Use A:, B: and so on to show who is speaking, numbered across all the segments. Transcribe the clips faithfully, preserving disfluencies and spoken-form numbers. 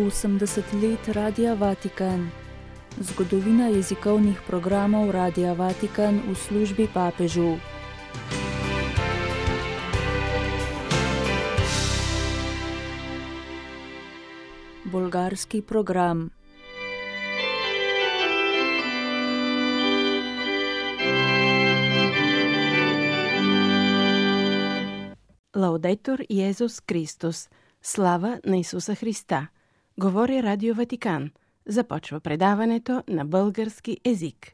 A: osemdeset let Radia Vatikan. Zgodovina jezikovnih programov Radia Vatikan v službi papežu. Bolgarski program.
B: Лаудетур Йезус Христос. Слава на Исуса Христа. Говори Радио Ватикан. Започва предаването на български език.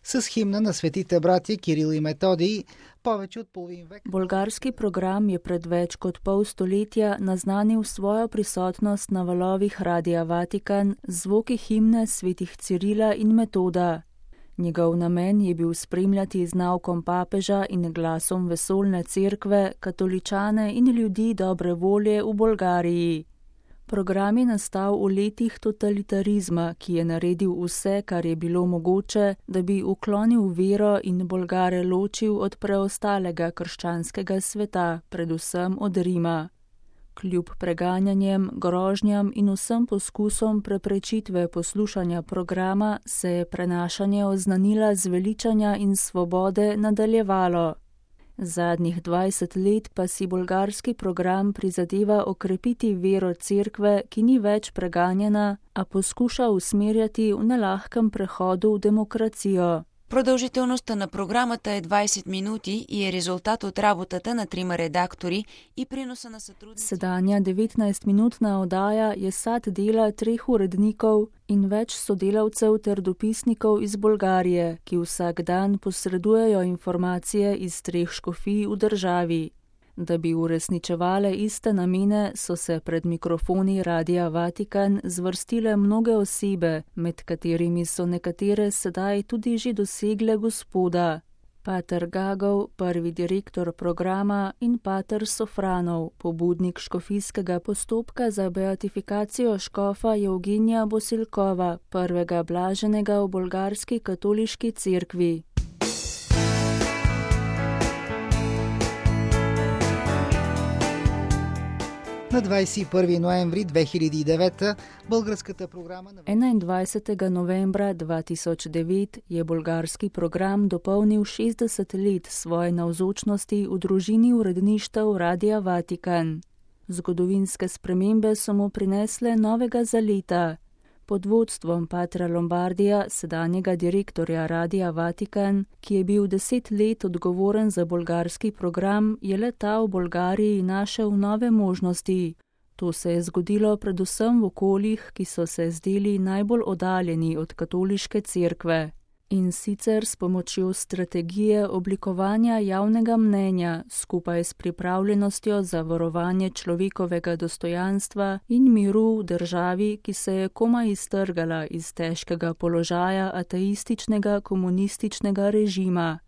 C: С химна на светите братя Кирил и Методий повече от половин век.
A: Bolgarski program je pred več kot pol stoletja naznanil svojo prisotnost na valovih Radia Vatikan z zvoki himne svetih Cirila in Metoda. Njegov namen je bil spremljati z naukom papeža in glasom vesoljne cerkve, katoličane in ljudi dobre volje v Bolgariji. Program je nastal v letih totalitarizma, ki je naredil vse, kar je bilo mogoče, da bi uklonil vero in Bolgare ločil od preostalega krščanskega sveta, predvsem od Rima. Kljub preganjanjem, grožnjam in vsem poskusom preprečitve poslušanja programa se je prenašanje oznanila zveličanja in svobode nadaljevalo. Zadnjih dvajset let pa si bolgarski program prizadeva okrepiti vero cerkve, ki ni več preganjena, a poskuša usmerjati v nelahkem prehodu v demokracijo.
D: Продължителността на програмата е двайсет минути и е резултат от работата на трима редактори и приноса на сътрудници.
A: Sedanja devetnajstminutna oddaja je sad dela treh urednikov in več sodelavcev ter dopisnikov iz Bolgarije, ki vsak dan posredujejo informacije iz treh škofij v državi. Da bi uresničevale iste namene, so se pred mikrofoni Radia Vatikan zvrstile mnoge osebe, med katerimi so nekatere sedaj tudi že dosegle Gospoda. Pater Gagov, prvi direktor programa, in pater Sofranov, pobudnik škofijskega postopka za beatifikacijo škofa Evgenija Bosilkova, prvega blaženega v bolgarski katoliški cerkvi.
C: На двайсет и първи ноември две хиляди и девета българската програма на
A: enaindvajsetega novembra dva tisoč devet je bolgarski program dopolnil šestdeset let svoje navzočnosti v družini uredništev Radia Vatikan. Zgodovinske spremembe so mu prinesle novega zaleta. Pod vodstvom patra Lombardija, sedanjega direktorja Radia Vatikan, ki je bil deset let odgovoren za bolgarski program, je le-ta v Bolgariji našel nove možnosti. To se je zgodilo predvsem v okoljih, ki so se zdeli najbolj oddaljeni od katoliške cerkve. In sicer s pomočjo strategije oblikovanja javnega mnenja skupaj s pripravljenostjo za varovanje človekovega dostojanstva in miru v državi, ki se je komaj iztrgala iz težkega položaja ateističnega komunističnega režima.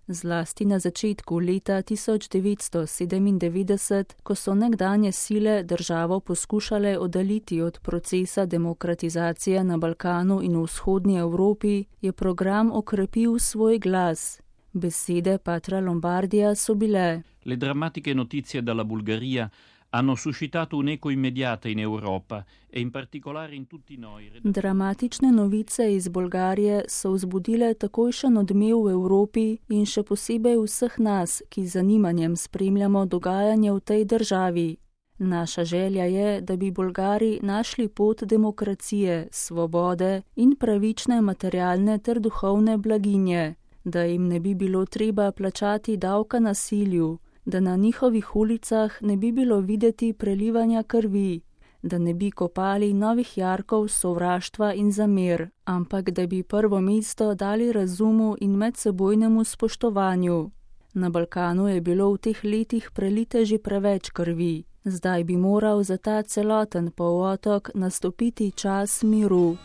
A: Zlasti na začetku leta tisoč devetsto sedemindevetdeset, ko so nekdanje sile državo poskušale oddaljiti od procesa demokratizacije na Balkanu in v vzhodnji Evropi, je program okrepil svoj glas. Besede patra Lombardija so bile:
E: Le drammatiche notizie dalla Bulgaria hanno suscitato un'eco immediata in Europa e in particolare in tutti noi.
A: Dramatične novice iz Bolgarije so vzbudile takojšen odmev v Evropi in še posebej vseh nas, ki z zanimanjem spremljamo dogajanje v tej državi. Naša želja je, da bi Bolgari našli pot demokracije, svobode in pravične materialne ter duhovne blaginje, da jim ne bi bilo treba plačati davka nasilju, da na njihovih ulicah ne bi bilo videti prelivanja krvi, da ne bi kopali novih jarkov sovraštva in zamer, ampak da bi prvo mesto dali razumu in medsebojnemu spoštovanju. Na Balkanu je bilo v teh letih prelite že preveč krvi, zdaj bi moral za ta celoten polotok nastopiti čas miru.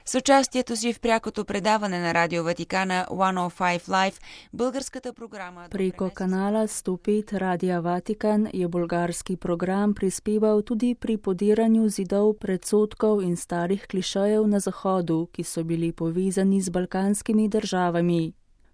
D: С участието си в прякото предаване на Радио Ватикана сто и пет Live, българската програма...
A: Preko kanala sto pet Radia Vatikan je bolgarski program prispeval tudi pri podiranju zidov predsodkov in starih klišejev na Zahodu, ki so bili povezani z balkanskimi državami.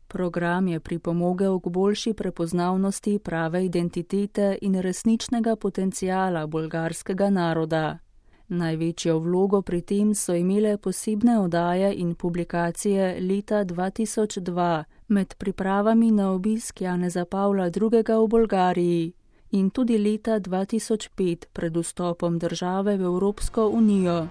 A: Program je pripomogel k boljši prepoznavnosti prave identitete in resničnega potencijala bolgarskega naroda. Največjo vlogo pri tem so imele posebne oddaje in publikacije leta dva tisoč dva med pripravami na obisk Janeza Pavla drugega. v Bolgariji in tudi leta dva tisoč pet pred vstopom države v Evropsko unijo.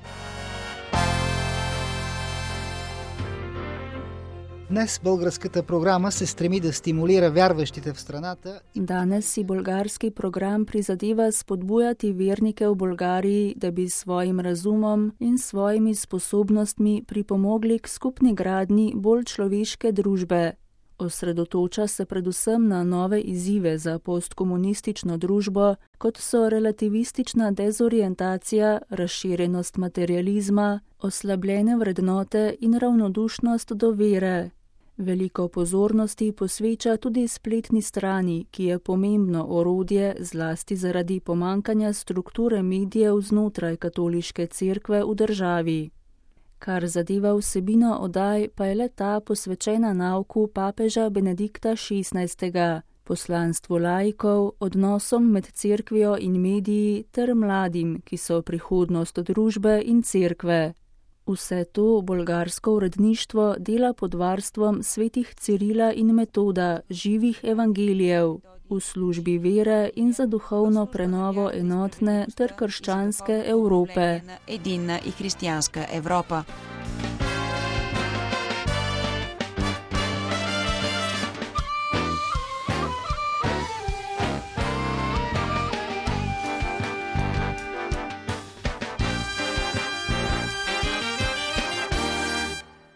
C: Днес българската програма се стреми да стимулира вярващите в страната.
A: Danes si bolgarski program prizadeva spodbujati vernike v Bolgariji, da bi s svojim razumom in svojimi sposobnostmi pripomogli k skupni gradnji bolj človeške družbe. Osredotoča se predvsem na nove izzive za postkomunistično družbo, kot so relativistična dezorientacija, razširjenost materializma, oslabljene vrednote in ravnodušnost do vere. Veliko pozornosti posveča tudi spletni strani, ki je pomembno orodje zlasti zaradi pomankanja strukture medijev znotraj katoliške cerkve v državi. Kar zadeva vsebino oddaj, pa je le ta posvečena nauku papeža Benedikta šestnajstega, poslanstvu laikov, odnosom med cerkvijo in mediji ter mladim, ki so prihodnost družbe in cerkve. Vse to bolgarsko uredništvo dela pod varstvom svetih Cirila in Metoda, živih evangelijev, v službi vere in za duhovno prenovo enotne ter krščanske Evrope.
D: Edina i hristijanska Evropa.